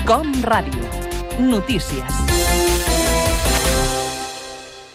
Com Ràdio. Notícies.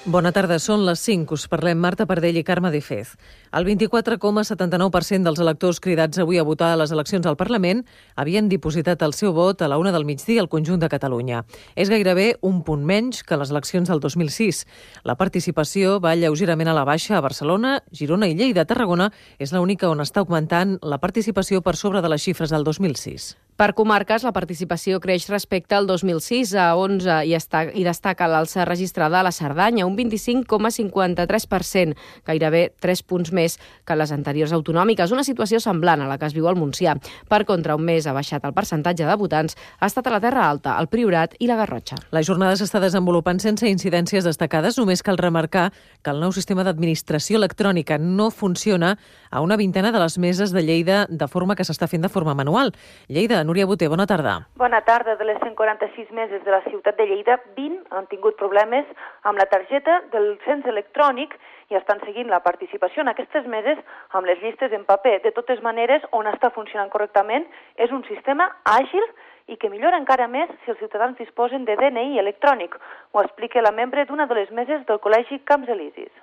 Bona tarda, són les 5. Us parlem Marta Pardell i Carme de Fez. El 24,79% dels electors cridats avui a votar a les eleccions al Parlament havien dipositat el seu vot a la 1 del migdia al conjunt de Catalunya. És gairebé un punt menys que les eleccions del 2006. La participació va lleugerament a la baixa a Barcelona, Girona i Lleida. Tarragona és l'única on està augmentant la participació per sobre de les xifres del 2006. Per comarques, la participació creix respecte al 2006 a 11 i destaca l'alça registrada a la Cerdanya, un 25,53%, gairebé 3 punts més que les anteriors autonòmiques, una situació semblant a la que es viu al Montsià. Per contra, un mes ha baixat el percentatge de votants, ha estat a la Terra Alta, el Priorat i la Garrotxa. La jornada s'està desenvolupant sense incidències destacades, només cal remarcar que el nou sistema d'administració electrònica no funciona a una vintena de les meses de Lleida de forma que s'està fent de forma manual. Lleida, Núria Boter, bona tarda. Bona tarda. De les 146 meses de la ciutat de Lleida, 20 han tingut problemes amb la targeta del cens electrònic i estan seguint la participació en aquestes meses amb les llistes en paper. De totes maneres, on està funcionant correctament és un sistema àgil i que millora encara més si els ciutadans disposen de DNI electrònic. Ho explica la membre d'una de les meses del Col·legi Camps Elisis.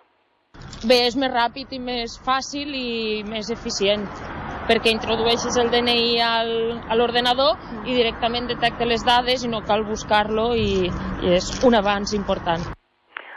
Bé, és més ràpid i més fàcil i més eficient, perquè introdueixes el DNI a l'ordenador i directament detecta les dades i no cal buscar-lo i és un avanç important.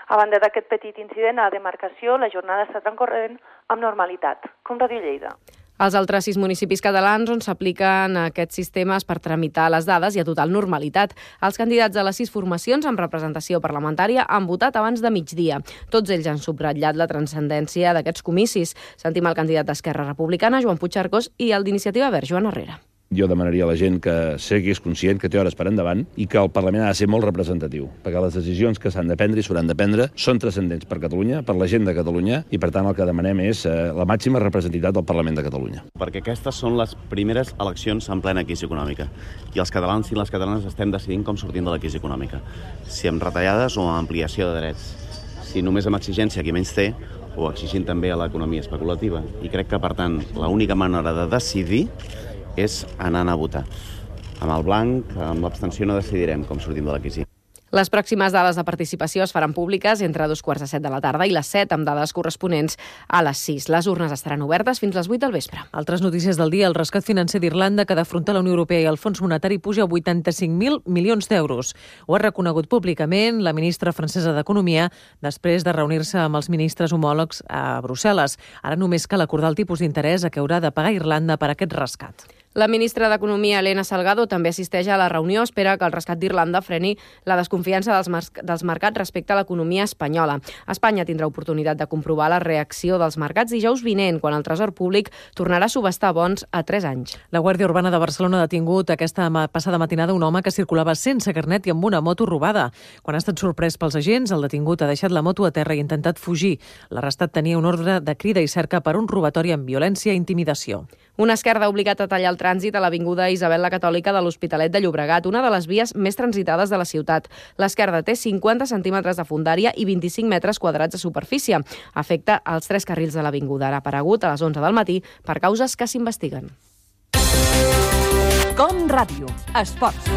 A banda d'aquest petit incident a la demarcació, la jornada està transcorrent amb normalitat, com Ràdio Lleida. Als altres 6 municipis catalans on s'apliquen aquests sistemes per tramitar les dades i a total normalitat. Els candidats de les 6 formacions amb representació parlamentària han votat abans de migdia. Tots ells han subratllat la transcendència d'aquests comicis. Sentim el candidat d'Esquerra Republicana, Joan Puigcercós, i el d'Iniciativa Verds, Joan Herrera. Jo demanaria a la gent que sigui conscient que té hores per endavant i que el Parlament ha de ser molt representatiu, perquè les decisions que s'han de prendre i s'hauran de prendre són transcendents per Catalunya, per la gent de Catalunya, i per tant el que demanem és la màxima representativitat del Parlament de Catalunya. Perquè aquestes són les primeres eleccions en plena crisi econòmica i els catalans i les catalanes estem decidint com sortim de la crisi econòmica, si amb retallades o amb ampliació de drets, si només amb exigència a qui menys té o exigint també a l'economia especulativa. I crec que, per tant, l'única manera de decidir és anant a votar. Amb el blanc, amb l'abstenció no decidirem com sortim de la crisi. Les pròximes dades de participació es faran públiques entre 2:45 de la tarda i les 7, amb dades corresponents a les 6. Les urnes estaran obertes fins les 8 del vespre. Altres notícies del dia. El rescat financer d'Irlanda que ha d'afrontar la Unió Europea i el Fons Monetari puja a 85.000 milions d'euros. Ho ha reconegut públicament la ministra francesa d'Economia després de reunir-se amb els ministres homòlegs a Brussel·les. Ara només cal acordar el tipus d'interès a què haurà de pagar Irlanda per aquest rescat. La ministra d'Economia, Elena Salgado, també assisteix a la reunió. Espera que el rescat d'Irlanda freni la desconfiança dels mercats respecte a l'economia espanyola. Espanya tindrà oportunitat de comprovar la reacció dels mercats dijous vinent, quan el Tresor Públic tornarà a subhastar bons a 3 anys. La Guàrdia Urbana de Barcelona ha detingut aquesta passada matinada un home que circulava sense carnet i amb una moto robada. Quan ha estat sorprès pels agents, el detingut ha deixat la moto a terra i ha intentat fugir. L'arrestat tenia un ordre de crida i cerca per un robatori amb violència i intimidació. Un esquerda ha obligat a tallar el trànsit a l'avinguda Isabel la Catòlica de l'Hospitalet de Llobregat, una de les vies més transitades de la ciutat. L'esquerda té 50 centímetres de fondària i 25 metres quadrats de superfície. Afecta els 3 carrils de l'avinguda. Ha aparegut a les 11 del matí per causes que s'investiguen. Com Ràdio. Esports.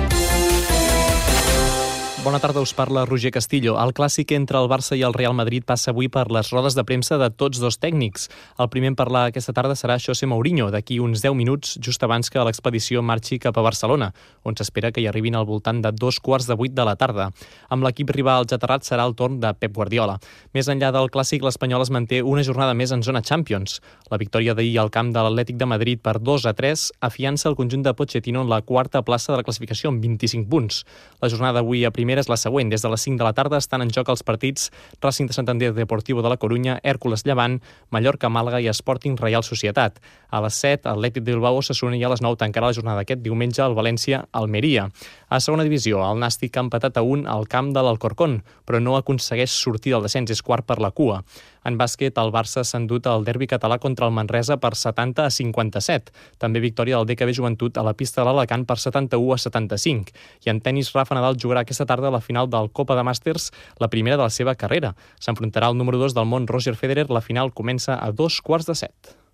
Bona tarda, us parla Roger Castillo. El clàssic entre el Barça i el Real Madrid passa avui per les rodes de premsa de tots dos tècnics. El primer en parlar aquesta tarda serà José Mourinho, d'aquí uns 10 minuts, just abans que l'expedició marxi cap a Barcelona, on s'espera que hi arribin al voltant de 7:15 de la tarda. Amb l'equip rival aterrat serà el torn de Pep Guardiola. Més enllà del clàssic, l'Espanyol es manté una jornada més en zona Champions. La victòria d'ahir al camp de l'Atlètic de Madrid per 2-3 afiança el conjunt de Pochettino en la quarta plaça de la classificació amb 25 punts. La jornada avui a primera és la següent. Des de les 5 de la tarda estan en joc els partits Racing de Santander Deportivo de la Corunya, Hèrcules Llevant, Mallorca Màlaga i Sporting Reial Societat. A les 7, Atlètic de Bilbao Osasuna, i a les 9 tancarà la jornada aquest diumenge el València Almeria. A segona divisió, el Nàstic ha empatat a 1 al camp de l'Alcorcón, però no aconsegueix sortir del descens, és quart per la cua. En bàsquet, el Barça s'ha endut el derbi català contra el Manresa per 70-57. També victòria del DKB Joventut a la pista de l'Alacant per 71-75. I en tenis, Rafa Nadal jugarà aquesta tarda a la final del Copa de Màsters, la primera de la seva carrera. S'enfrontarà al número 2 del món, Roger Federer. La final comença a 7:15.